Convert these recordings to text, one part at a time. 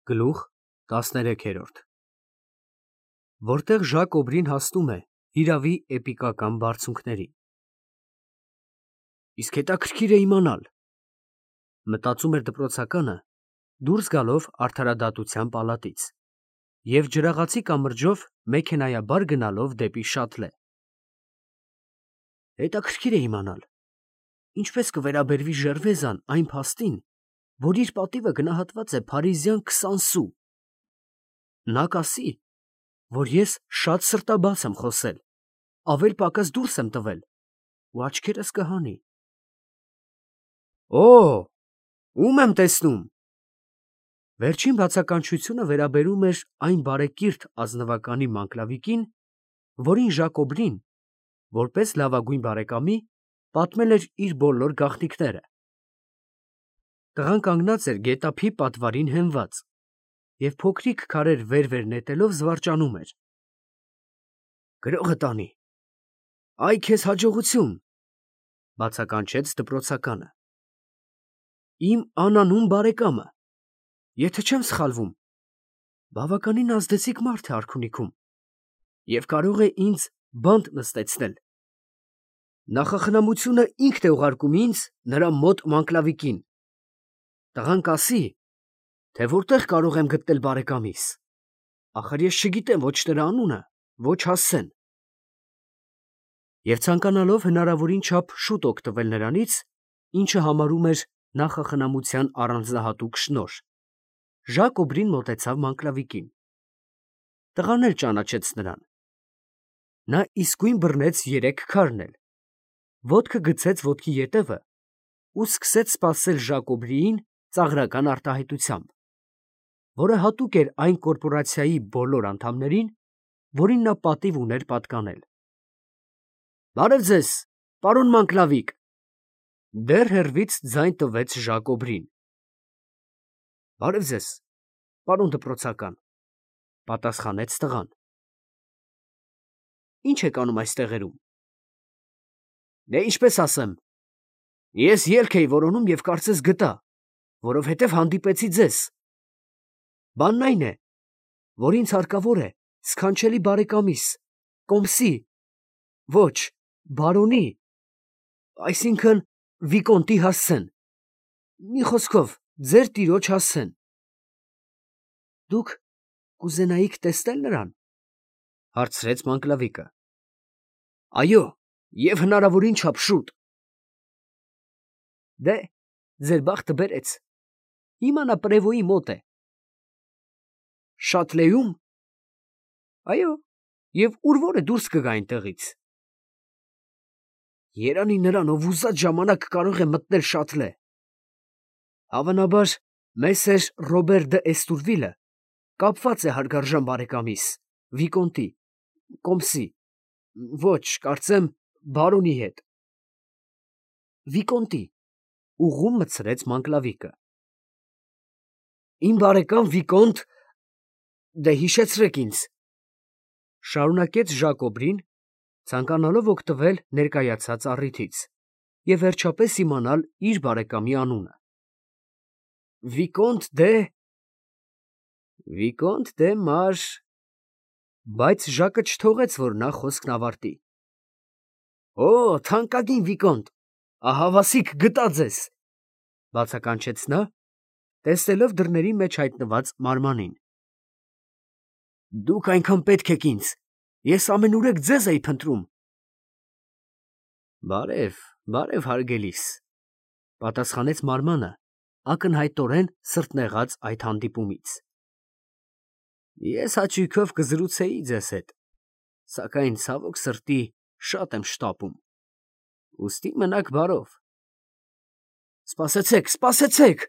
Գլուխ 13 Որտեղ Ժակ Օբրին հասնում է հիրավի էպիկական բարձունքներին։ Իսկ հետաքրքիր է իմանալ, մտածում էր դպրոցականը, դուրս գալով արդարադատության պալատից և ջրաղացի կամրջով մեքենայաբար գնալով դեպի շատլե։ Հետաքրքիր է իմանալ, ինչպես կվերաբերվի Ժերվեզան այն փաստին, որ իր պատիվը գնահատված է փարիզյան 20 սու։ Նա կասի, որ ես շատ սրտաբաց եմ խոսել, ավել֊պակաս դուրս եմ տվել, ու աչքերս կհանի։ Օ, ո՞ւմ եմ տեսնում։ Վերջին բացականչությունը վերաբերում էր այն բարեկիրթ ազնվականի Մանկլավիկին, որին Ժակ Օբրին, որպես լավագույն բարեկամի, պատմել էր իր բոլոր գաղտնիքները։ Տղան կանգնած էր գետափի պատվարին հենված և փոքրիկ քարեր վեր նետելով զվարճանում էր. «Գրողը տանի, այ քեզ հաջողություն», բացականչեց դպրոցականը։ Իմ անանուն բարեկամը, եթե չեմ սխալվում, բավականին ազդեցիկ մարդ է արքունիքում և կարող է ինձ բանտ նստեցնել։ Նախախնամությունը ինքն է ուղարկում ինձ նրա մոտ Մանկլավիկին։ Տղան կասի, թե որտեղ կարող եմ գտնել բարեկամիս, ախր ես չգիտեմ ոչ նրա անունը, ոչ հասցեն։ Եվ ցանկանալով հնարավորին չափ շուտ օգտվել նրանից, ինչը համարում էր նախախնամության առանձնահատուկ շնորհ, Ժակ Օբրին մոտեցավ Մանկլավիկին։ Տղան էլ ճանաչեց նրան։ Նա իսկույն բռնեց 3 քարն էլ, ոտքը գցեց ոտքի ետևը ու սկսեց սպասել Ժակ Օբրիին ծաղրական արտահայտությամբ, որը հատուկ էր այն կորպորացիայի բոլոր անդամներին, որին նա պատիվ ուներ պատկանել։ «Բարև ձեզ, պարոն Մանկլավիկ», դեռ հեռվից ձայն տվեց Ժակ Օբրին։ «Բարև ձեզ, պարոն դպրոցական», պատասխանեց տղան։ «Ի՞նչ եք անում այս տեղերում»։ «Դե ինչպես ասեմ, ես ելք էի որոնում և կարծես գտա, որովհետև հանդիպեցի ձեզ։ Բանն այն է, որ ինձ հարկավոր է սքանչելի բարեկամիս, կոմսի, ոչ, բարոնի, այսինքն վիկոնտի հասցեն, մի խոսքով, ձեր տիրոջ հասցեն»։ «Դուք կուզենայիք տեսնել նրան»։ հարցրեց Մանկլավիկը։ «Այո, և հնարավորին չափ շուտ»։ «Դե, ձեր բախտը բերեց, հիմա նա Պրևոյի մոտ է»։ «Շատլեում»։ «Այո, և ուր որ է դուրս կգա այնտեղից»։ «Երանի նրան, ով ուզած ժամանակ կարող է մտնել Շատլե։ Հավանաբար մեսեր Ռոբեր դ'Եստուրվիլը կապված է հարգարժան բարեկամիս, վիկոնտի, կոմսի, ոչ, կարծեմ, բարոնի հետ»։ «Վիկոնտի», ուղղում մտցրեց Մանկլավիկը։ «Իմ բարեկամ վիկոնտ, դե հիշեցրեք ինձ», շարունակեց Ժակ Օբրին, ցանկանալով օգտվել ներկայացած առիթից և վերջապես իմանալ իր բարեկամի անունը։ Վիկոնտ դե Մար… Բայց Ժակը չթողեց, որ նա խոսքն ավարտի։ «Օ, թանկագին վիկոնտ, ահա վասիկ գտա ձեզ», բացականչեց նա, տեսնելով դռների մեջ հայտնված մարմանին։ «Դուք այնքան պետք եք ինձ, ես ամենուրեք ձեզ էի փնտրում»։ «Բարև, բարև, հարգելիս», պատասխանեց մարմանը, ակնհայտորեն սրտնեղած այդ հանդիպումից։ «Ես հաճույքով կզրուցեի ձեզ հետ, սակայն ցավոք սրտի շատ եմ շտապում, ուստի մնաք բարով»։ «Սպասեցեք, սպասեցեք»,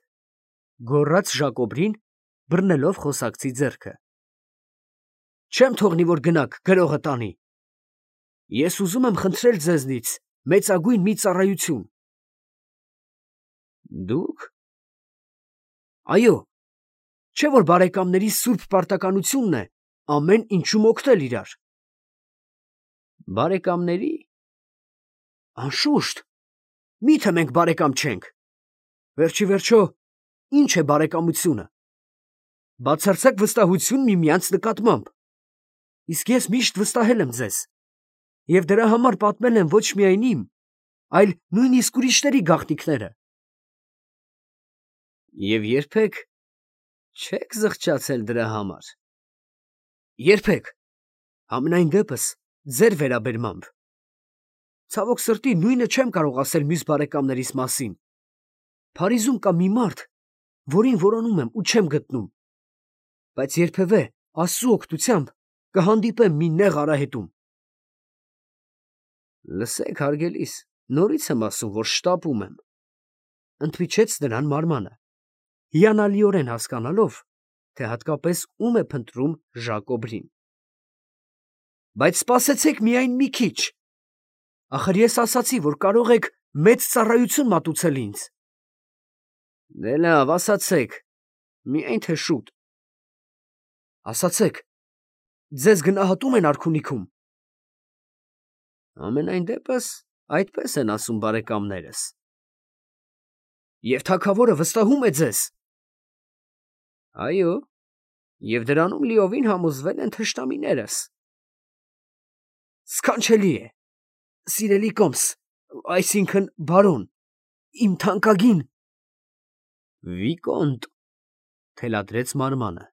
գոռաց Ժակ Օբրին, բռնելով խոսակցի ձեռքը։ «Չեմ թողնի, որ գնաք, գրողը տանի։ Ես ուզում եմ խնդրել ձեզնից մեծագույն մի ծառայություն»։ «Դուք»։ «Այո, չէ՞ որ բարեկամների սուրբ պարտականությունն է ամեն ինչում օգնել իրար»։ «Բարեկամների»։ «Անշուշտ, մի՞թե մենք բարեկամ չենք։ Վերջիվերջո, ի՞նչ է բարեկամությունը։ բացարձակ վստահություն միմյանց նկատմամբ։ Իսկ ես միշտ վստահել եմ ձեզ, և դրա համար պատմել եմ ոչ միայն իմ, այլ նույնիսկ ուրիշների գաղտնիքները։ Եվ երբեք չեք զղջացել դրա համար։ Երբեք, համենայն դեպս ձեր վերաբերմամբ։ Ցավոք սրտի նույնը չեմ կարող ասել մյուս բարեկամներիս մասին։ Փարիզում կա մի մարդ, որին որոնում եմ ու չեմ գտնում, բայց երբևէ Աստծու օգնությամբ կհանդիպեմ մի նեղ արահետում։ Լսեք, հարգելիս, նորից եմ ասում, որ շտապում եմ, ընդմիջեց նրան Մարմանը, հիանալիորեն հասկանալով, թե հատկապես ում է փնտրում Ժակոբրին։ Բայց սպասեցեք միայն մի քիչ։ Ախր ես ասացի, որ կարող եք մեծ ծառայություն մատուցել ինձ։ Դե լավ, ասացեք, միայն թե շուտ։ Ասացեք, ձեզ գնահատում են արքունիքում։ Ամենայն դեպս այդպես են ասում բարեկամներս։ Եվ թագավորը վստահում է ձեզ։ Այո, և դրանում լիովին համոզվել են թշնամիներս։ Սքանչելի է, սիրելի կոմս, այսինքն բարոն, իմ թանկագին։ Վիկոնտ, թելադրեց Մարմանը։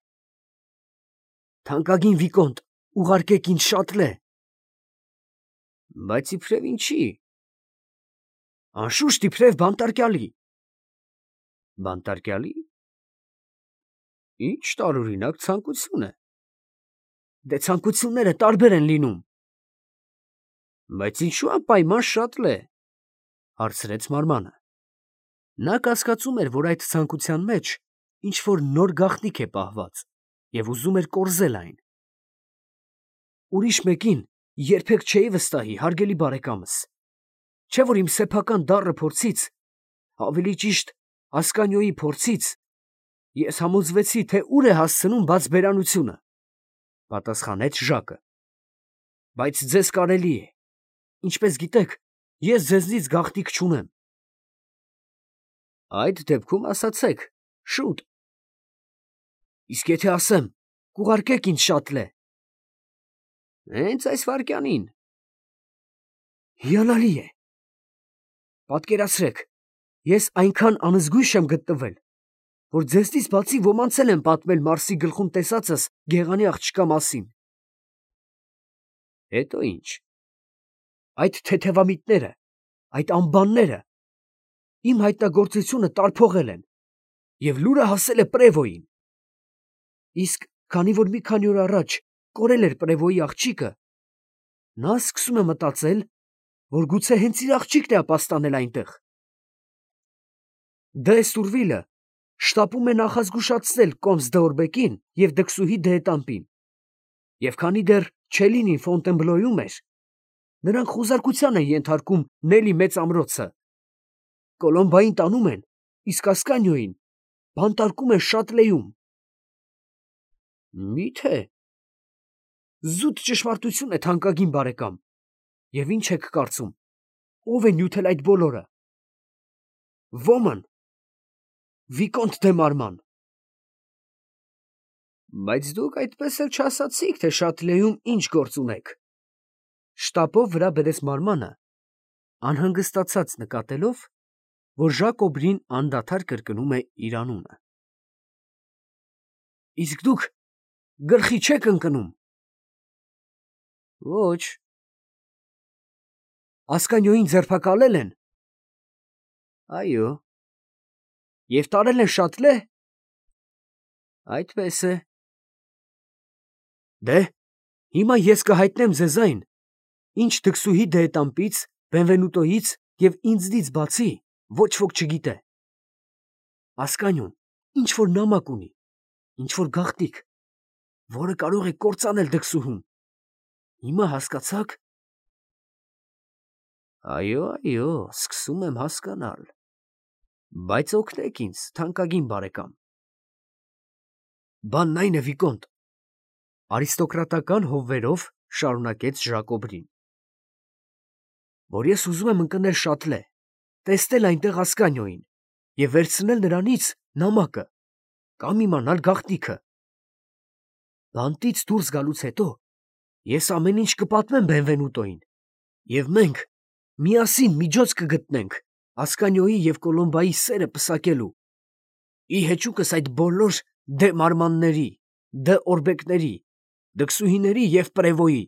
Թանկագին Վիկոնտ, ուղարկեք ինձ շատլե։ Բայց իբրև ինչի։ Անշուշտ իբրև բանտարկյալի։ Բանտարկյալի։ Ինչ տարօրինակ ցանկություն է։ Դե ցանկությունները տարբեր են լինում։ Բայց ինչու անպայման շատլե, հարցրեց Մարմանը։ Նա կասկածում էր, որ այդ ցանկության մեջ ինչ որ նոր գաղտնիք է պահված և ուզում էր կորզել այն։ Ուրիշ մեկին երբեք չէի վստահի, հարգելի բարեկամս, չէ որ իմ սեփական դառը փորձից, ավելի ճիշտ Ասկանիոյի փորձից, ես համոզվեցի, թե ուր է հասցնում բաց բերանությունը, պատասխանեց Ժակը։ Բայց ձեզ կարելի է, ինչպես գիտեք, ես ձեզնից գաղտնիք չունեմ։ Այդ դեպքում ասացեք, շուտ։ Իսկ եթե ասեմ, կուղարկեք ինձ շատլե։ Հենց այս վայրկյանին։ Հիանալի է։ Պատկերացրեք, ես այնքան անզգույշ եմ գտնվել, որ ձեզնից բացի ոմանց էլ եմ պատմել Մարսի գլխում տեսածս գեղանի աղջկա մասին։ Հետո ինչ։ Այդ թեթևամիտները, այդ անբանները իմ հայտնագործությունը տարփողել են, և լուրը հասել է Պրևոյին։ Իսկ քանի որ մի քանի օր առաջ կորել էր Պրևոյի աղջիկը, նա սկսում է մտածել, որ գուցե հենց իր աղջիկն է ապաստանել այնտեղ։ Դե Սուրվիլը շտապում է նախազգուշացնել կոմս Դեորբեկին և դքսուհի Դեետամպին, և քանի դեռ Չելինին Ֆոնտենբլոյում էր, նրանք խուզարկության են ենթարկում Նելի մեծ ամրոցը, Կոլոմբային տանում են, իսկ Ասկանիոյին բանտարկում են Շատլեում։ Մի՞թե։ Զուտ ճշմարտություն է, թանկագին բարեկամ, և ինչ եք կարծում, ով է նյութել այդ բոլորը։ Ոման, Վիկոնտ դե Մարման։ Բայց դուք այդպես էլ չասացիք, թե Շատլեում ինչ գործ ունեք։ Շտապով վրա բերեց Մարմանը, անհանգստացած նկատելով, որ Ժակոբրին անդադար կրկնում է իր անունը։ Իսկ դուք գլխի չեք ընկնում։ Ոչ։ Ասկանիոյին ձերբակալել են։ Այո։ Եվ տարել են Շատլե։ Այդպես է։ Դե, հիմա ես կհայտնեմ ձեզ այն, ինչ դքսուհի Դեետամպից, Բենվենուտոյից և ինձնից բացի ոչ ոք չգիտե։ Ասկանիոն ինչ որ նամակ ունի, ինչ որ գաղտնիք, որը կարող է կործանել դքսուհուն։ Հիմա հասկացա՞ք։ Այո, սկսում եմ հասկանալ։ Բայց օգնեք ինձ, թանկագին բարեկամ։ Բանն այն է, Վիկոնտ, արիստոկրատական հովվերով շարունակեց Ժակոբրին, որ ես ուզում եմ ընկնել Շատլե, տեսնել այնտեղ Ասկանիոյին և վերցնել նրանից նամակը կամ իմանալ գաղտնիքը, Բանտից դուրս գալուց հետո ես ամեն ինչ կպատմեմ Բենվենուտոին, և մենք միասին միջոց կգտնենք Ասկանիոյի և Կոլոմբայի սերը պսակելու, ի հեճուկս այդ բոլոր դե մարմանների, դե օրբեկների, դքսուհիների և պրևոյի։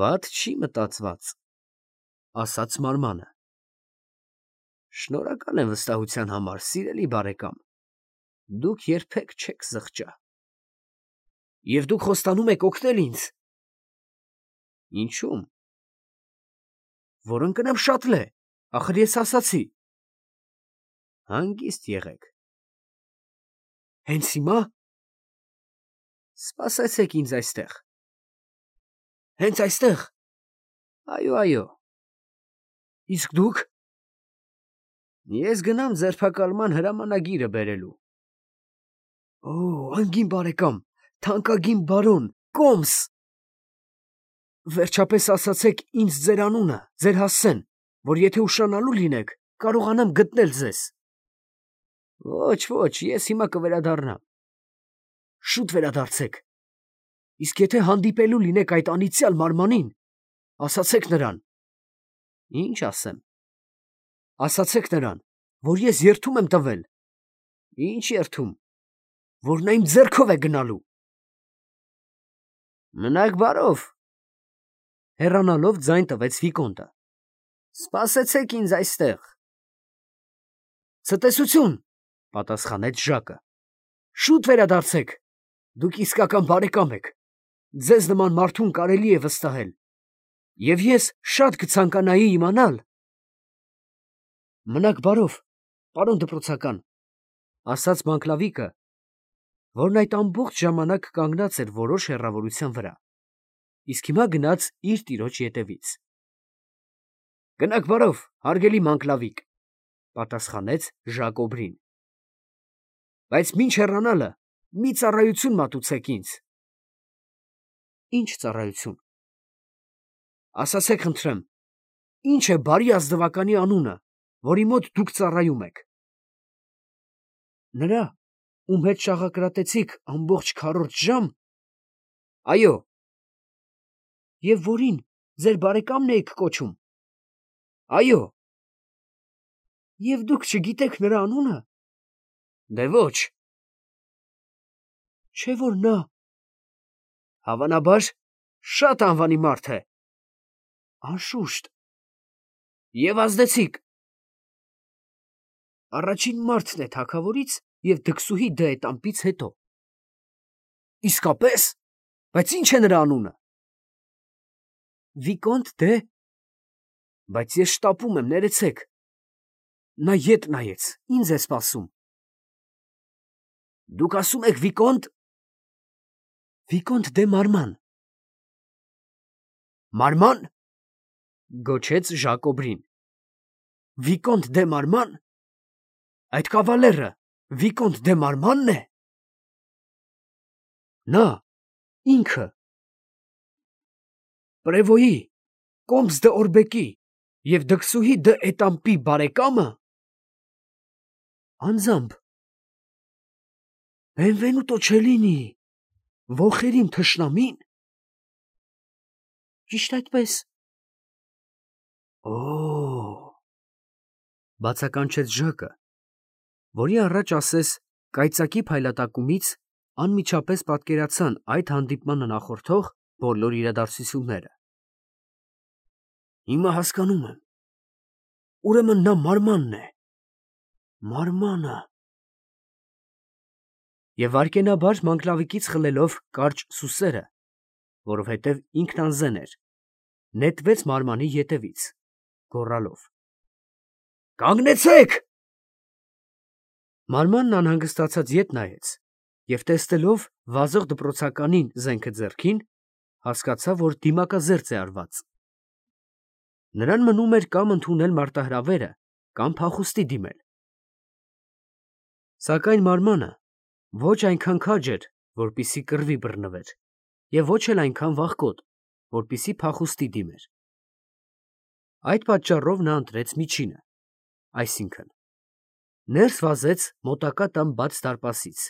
Վատ չի մտածված, ասաց մարմանը։ Շնորհակալ եմ վստահության համար, սիրելի բարեկամ, դուք երբեք չեք զղջա։ Եվ դուք խոստանում եք օգնել ինձ։ Ինչու՞մ։ Որ ընկնեմ շատլե, ախր ես ասացի։ Հանգիստ եղեք։ Հենց հիմա։ Սպասեցեք ինձ այստեղ։ Հենց այստեղ։ Այո, այո։ Իսկ դուք։ Ես գնամ ձերբակալման հրամանագիրը բերելու։ Օ, անգին բարեկամ, թանկագին բարոն, Կոմս։ Վերջապես ասացեք ինձ ձեր անունը, ձեր հասցեն, որ եթե ուշանալու լինեք, կարողանամ գտնել ձեզ։ Ոչ, ես հիմա կվերադառնամ։ Շուտ վերադարձեք։ Իսկ եթե հանդիպելու լինեք այդ անիծյալ մարմանին, ասացեք նրան։ Ինչ ասեմ։ Ասացեք նրան, որ ես երդում եմ տվել։ Ինչ երդում։ Որ նա իմ ձեռքով է գնալու։ Մնաք բարով։ Հեռանալով ձայն տվեց Վիկոնտը։ Սպասեցեք ինձ այստեղ։ Ցտեսություն, պատասխանեց Ժակը։ Շուտ վերադարձեք։ Դուք իսկական բարեկամ եք։ Ձեզ նման մարդուն կարելի է վստահել։ Եվ ես շատ կցանկանայի իմանալ։ Մնաք բարով, պարոն դպրոցական, ասաց Մանկլավիկը, որն այդ ամբողջ ժամանակ կանգնած էր որոշ հեռավորության վրա, իսկ հիմա գնաց իր տիրոջ ետևից։ Գնաք բարով, հարգելի Մանկլավիկ, պատասխանեց Ժակոբրին։ Բայց մինչ հեռանալը մի ծառայություն մատուցեք ինձ։ Ինչ ծառայություն։ Ասացեք խնդրեմ, ինչ է բարի ազնվականի անունը, որի մոտ դուք ծառայում եք։ Նրա, ում հետ շաղակրատեցիք ամբողջ քառորդ ժամ։ Այո։ Եվ որին ձեր բարեկամն էիք կոչում։ Այո։ Եվ դուք չգիտեք նրա անունը։ Դե ոչ։ Չէ որ նա։ Հավանաբար, շատ անվանի մարդ է։ Անշուշտ։ Եվ ազդեցիկ։ Առաջին մարդն է թագավորից և դքսուհի դեետամպից հետո։ Իսկապես։ Բայց ինչ է նրա անունը։ Վիկոնտ դե։ Բայց ես շտապում եմ, ներեցեք։ Նա ետ նայեց, ինձ է սպասում։ Դուք ասում եք Վիկոնտ։ Վիկոնտ դե Մարման։ Մարման։ Գոչեց Ժակոբրին։ Վիկոնտ դե Մարման։ Այդ կավալերը Վիկոնտ դե Մարմանն է։ Նա ինքը։ Պրևոյի, Կոմս դե Օրբեկի և դքսուհի դե Էտամպի բարեկամը։ Անձամբ։ Բենվենուտո Չելինի, ոխերիմ թշնամին։ Ճիշտ այդպես։ Օ, բացականչեց Ժակը, որի առաջ ասես կայծակի փայլատակումից անմիջապես պատկերացան այդ հանդիպմանը նախորդող բոլոր իրադարձությունները։ Հիմա հասկանում եմ։ Ուրեմն նա Մարմանն է։ Մարմանը։ Եվ վայրկենաբար Մանկլավիկից խլելով կարճ սուսերը, որովհետև ինքն անզեն էր, նետվեց Մարմանի ետևից, գոռալով. Կանգնեցեք։ Մարմանն անհանգստացած ետ նայեց և տեսնելով վազող դպրոցականին զենքը ձեռքին, հասկացավ, որ դիմակազերծ է արված։ Նրան մնում էր կամ ընդունել մարտահրավերը, կամ փախուստի դիմել։ Սակայն Մարմանը ոչ այնքան քաջ էր, որպեսզի կռվի բռնվեր, և ոչ էլ այնքան վախկոտ, որպեսզի փախուստի դիմեր։ Այդ պատճառով նա ընտրեց միջինը, այսինքն՝ ներս վազեց մոտակա տան բաց դարպասից,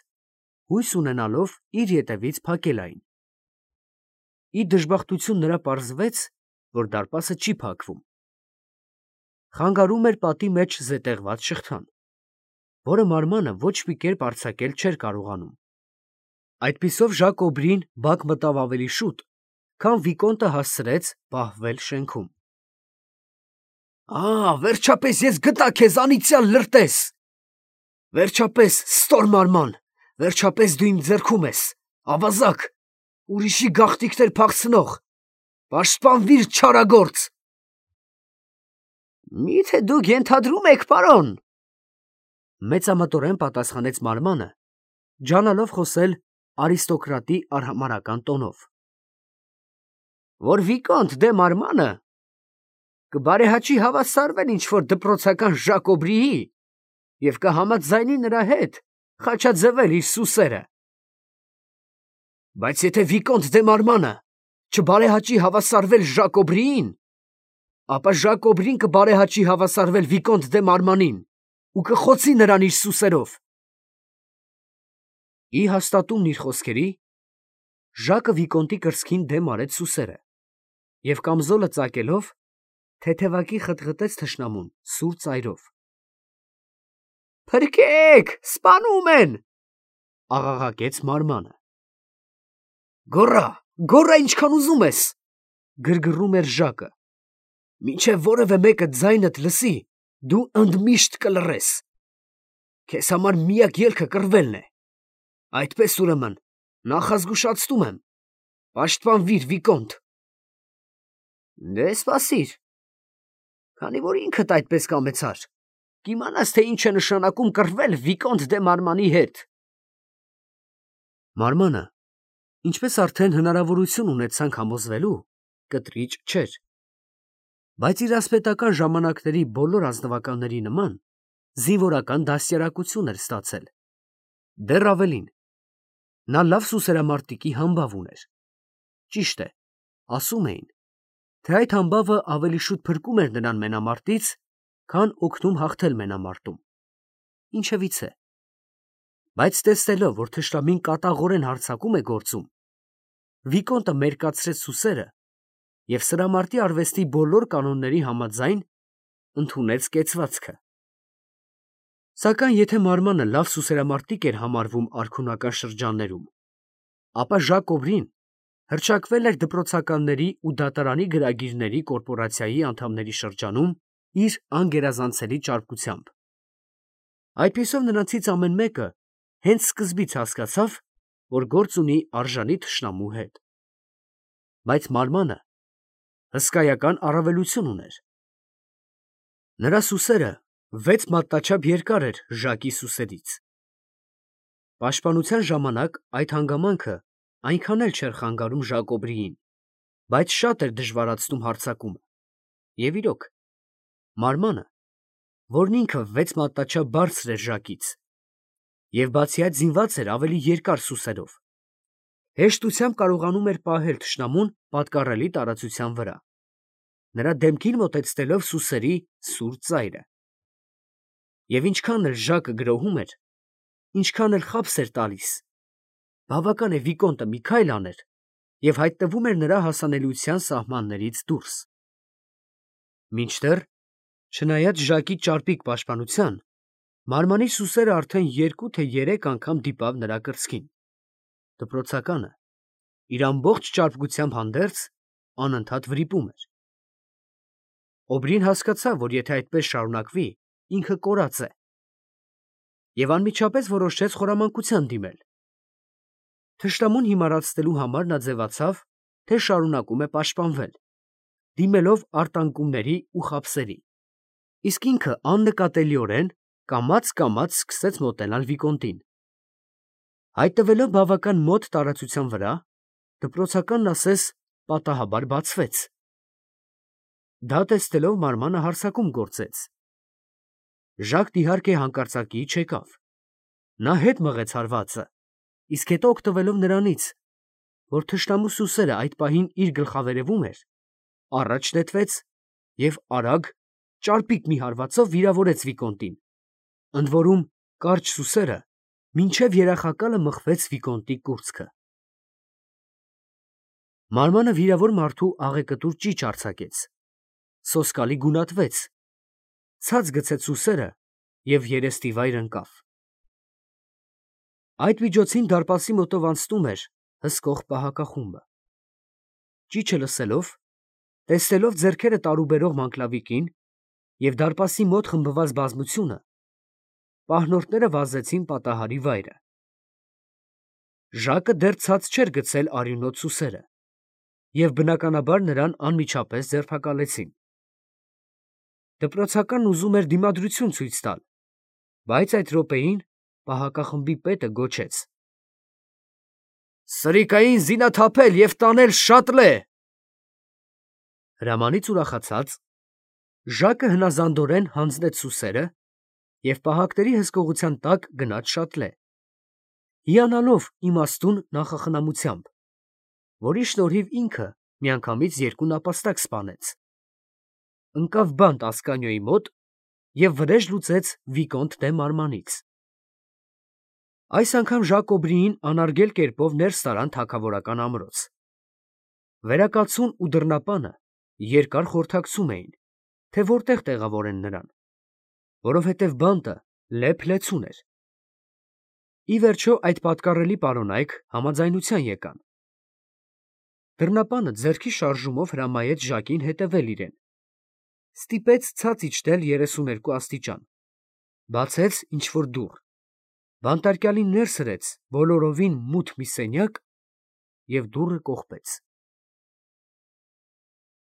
հույս ունենալով իր ետևից փակել այն։ Ի դժբախտություն նրա պարզվեց, որ դարպասը չի փակվում։ Խանգարում էր պատի մեջ զետեղված շղթան, որը մարմանը ոչ մի կերպ արձակել չէր կարողանում։ Այդպիսով Ժակոբրին բակ մտավ ավելի շուտ, քան Վիկոնտը հասցրեց պահվել շենքում։ Վերջապես ես գտա քեզ, անիծյալ լրտես, վերջապես ստոր մարման, վերջապես դու իմ ձեռքում ես, ավազակ, ուրիշի գաղտնիքներ փախցնող, պաշտպանվիր չարագործ։ Միթե դուք ենթադրում եք, պարոն, մեծամտորեն պատասխանեց մարմանը, ջանալով խոսել արիստոկրատի արհամարհական տոնով, որ Վիկոնտ դե մարմանը կբարեհաճի հավասարվել ինչ-որ դպրոցական Ժակոբրիի և կհամաձայնի նրա հետ խաչաձևել իր սուսերը։ Բայց եթե Վիկոնտ դե մարմանը չբարեհաճի հավասարվել Ժակոբրիին, ապա Ժակոբրին կբարեհաճի հավասարվել Վիկոնտ դե մարմանին ու կխոցի նրան իր սուսերով։ Ի հաստատումն իր խոսքերի, Ժակը Վիկոնտի կրծքին դեմ արեց սուսերը և կամզոլը ծակելով թեթևակի խտղտեց թշնամուն սուր ծայրով։ Փրկեք, սպանում են, աղաղակեց մարմանը։ Գոռա ինչքան ուզում ես, գրգռում էր Ժակը, մինչև որևէ մեկը ձայնդ լսի, դու ընդմիշտ կլռես։ Քեզ համար միակ ելքը կռվելն է։ Այդպես ուրեմն նախազգուշացնում եմ, պաշտպանվիր Վիկոնտ։ Դե սպասիր, քանի որ ինքդ այդպես կամեցար, կիմանաս, թե ինչ է նշանակում կռվել Վիկոնտ դե մարմանի հետ։ Մարմանը, ինչպես արդեն հնարավորություն ունեցանք համոզվելու, կտրիճ չէր, բայց իր ասպետական ժամանակների բոլոր ազնվականների նման զինվորական դաստիարակություն էր ստացել։ Դեռ ավելին, նա լավ սուսերամարտիկի համբավ ուներ։ Ճիշտ է, ասում էին, թե այդ համբավը ավելի շուտ փրկում էր նրան մենամարտից, քան օգնում հաղթել մենամարտում։ Ինչևից է, բայց տեսնելով, որ թշնամին կատաղորեն հարձակում է գործում, Վիկոնտը մերկացրեց սուսերը և սրամարտի արվեստի բոլոր կանոնների համաձայն ընդունեց կեցվածքը։ Սակայն եթե մարմանը լավ սուսերամարտիկ էր համարվում արքունական շրջաններում, ապա Ժակոբրին հռչակվել էր դպրոցականների ու դատարանի գրագիրների կորպորացիայի անդամների շրջանում իր անգերազանցելի ճարպկությամբ։ Այդպիսով նրանցից ամեն մեկը հենց սկզբից հասկացավ, որ գործ ունի արժանի թշնամու հետ։ Բայց մարմանը հսկայական առավելություն ուներ։ Նրա սուսերը 6 մատնաչափ երկար էր Ժակի սուսերից։ Պաշտպանության ժամանակ այդ հանգամանքը այնքան էլ չէր խանգարում Ժակոբրիին, բայց շատ էր դժվարացնում հարձակումը։ Եվ իրոք, մարմանը, որն ինքը 6 մատնաչափ բարձր էր Ժակից, և բացի այդ զինված էր ավելի երկար սուսերով, հեշտությամբ կարողանում էր պահել թշնամուն պատկառելի տարածության վրա, նրա դեմքին մոտեցնելով սուսերի սուր ծայրը։ Եվ ինչքան էլ Ժակը գրոհում էր, ինչքան էլ խաբս էր տալիս, բավական է Վիկոնտը մի քայլ աներ և հայտնվում էր նրա հասանելիության սահմաններից դուրս։ Մինչդեռ, չնայած Ժակի ճարպիկ պաշտպանության, մարմանի սուսերը արդեն 2 թե 3 անգամ դիպավ նրա կրծքին։ Դպրոցականը, իր ամբողջ ճարպկությամբ հանդերձ, անընդհատ վրիպում էր։ Օբրին հասկացավ, որ եթե այդպես շարունակվի, ինքը կորած է, և անմիջապես որոշեց խորամանկության դիմել։ Թշնամուն հիմարացնելու համար նա ձևացավ, թե շարունակում է պաշտպանվել, դիմելով արտանկումների ու խաբսերի, իսկ ինքը աննկատելիորեն կամաց սկսեց մոտենալ Վիկոնտին։ Հայտնվելով բավական մոտ տարածության վրա, դպրոցականն ասես պատահաբար բացվեց։ Դա տեսնելով մարմանը հարձակում գործեց։ Ժակն իհարկե հանկարծակիի չեկավ։ Նա հետ մղեց հարվածը, իսկ հետո օգտվելով նրանից, որ թշնամու սուսերը այդ պահին իր գլխավերևում էր, առաջ նետվեց և արագ, ճարպիկ մի հարվածով վիրավորեց Վիկոնտին, ընդ որում կարճ սուսերը մինչև երախակալը մխվեց Վիկոնտի կուրծքը։ Մարմանը վիրավոր մարդու աղեկտուր ճիչ արձակեց, սոսկալի գունատվեց, ցած գցեց ուսերը և երեստիվայր ընկավ։ Այդ միջոցին դարպասի մոտով անցնում էր հսկող պահակախումբը։ Ճիչը լսելով, տեսնելով ձեռքերը տարուբերող Մանգլավիկին և դարպասի մոտ խմբված բազմությունը, պահնորդները վազեցին պատահարի վայրը։ Ժակը դեռ ցած չէր գցել արյունոտ սուսերը և բնականաբար նրան անմիջապես ձերբակալեցին։ Դպրոցականն ուզում էր դիմադրություն ցույց տալ, բայց այդ րոպեին պահակախմբի պետը գոչեց. «Սրիկային զինաթափել և տանել շատլե»։ Հրամանից ուրախացած, Ժակը հնազանդորեն հանձնեց սուսերը և պահակների հսկողության տակ գնաց շատլե, հիանալով իմաստուն նախախնամությամբ, որի շնորհիվ ինքը միանգամից երկու նապաստակ սպանեց, ընկավ բանտ Ասկանիոյի մոտ և վրեժ լուծեց Վիկոնտ դե Մարմանից։ Այս անգամ Ժակ Օբրիին անարգել կերպով ներս տարան թագավորական ամրոց։ Վերակացուն ու դռնապանը երկար խորհրդակցում էին, թե որտեղ տեղավորեն նրան, որովհետև բանտը լեփ-լեցուն էր։ Ի վերջո այդ պատկառելի պարոնայք համաձայնության եկան։ Դռնապանը ձեռքի շարժումով հրամայեց Ժակին հետևել իրեն, ստիպեց ցած իջնել 32 աստիճան, բացեց ինչ֊որ դուռ, բանտարկյալին ներս հրեց բոլորովին մութ մի սենյակ և դուռը կողպեց։